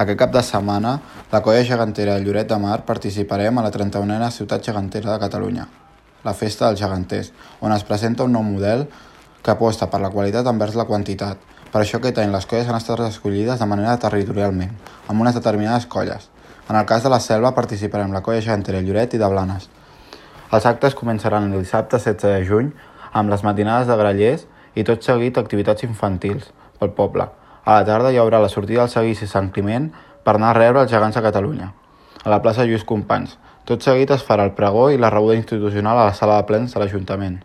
Aquest cap de setmana, la Colla Gegantera de Lloret de Mar participarem a la 31a Ciutat Gegantera de Catalunya, la Festa dels Geganters, on es presenta un nou model que aposta per la qualitat envers la quantitat. Per això aquest any les colles han estat escollides de manera territorialment, amb unes determinades colles. En el cas de la Selva participarem la Colla Gegantera de Lloret i de Blanes. Els actes començaran el dissabte 16 de juny amb les matinades de grallers i tot seguit activitats infantils pel poble. A la tarda hi haurà la sortida del seguici Sant Climent per anar a rebre els gegants de Catalunya, a la plaça Lluís Companys. Tot seguit es farà el pregó i la rebuda institucional a la sala de plens de l'Ajuntament.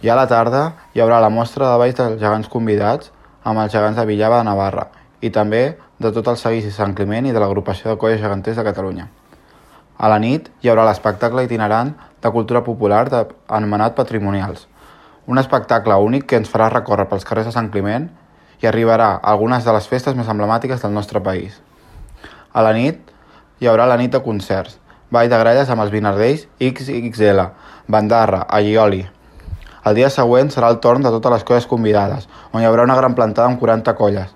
I a la tarda hi haurà la mostra de balls dels gegants convidats amb els gegants de Villava de Navarra i també de tot el seguici Sant Climent i de l'agrupació de colles geganters de Catalunya. A la nit hi haurà l'espectacle itinerant de cultura popular anomenat Patrimonials, un espectacle únic que ens farà recórrer pels carrers de Sant Climent i arribarà a algunes de les festes més emblemàtiques del nostre país. A la nit hi haurà la nit de concerts, ball de gralles amb els Vinardells XXL, Bandarra, Allioli. El dia següent serà el torn de totes les colles convidades, on hi haurà una gran plantada amb 40 colles.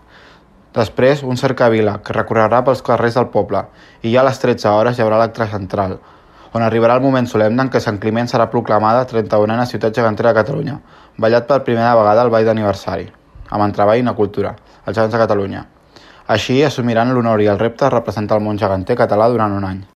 Després, un cercavila que recorrerà pels carrers del poble i ja a les 13 hores hi haurà l'acte central, on arribarà el moment solemne en què Sant Climent serà proclamada 31a Ciutat Gegantera de Catalunya, ballat per primera vegada el ball d'aniversari, amb entreball i una cultura, els gegants de Catalunya. Així assumiran l'honor i el repte de representar el món geganter català durant un any.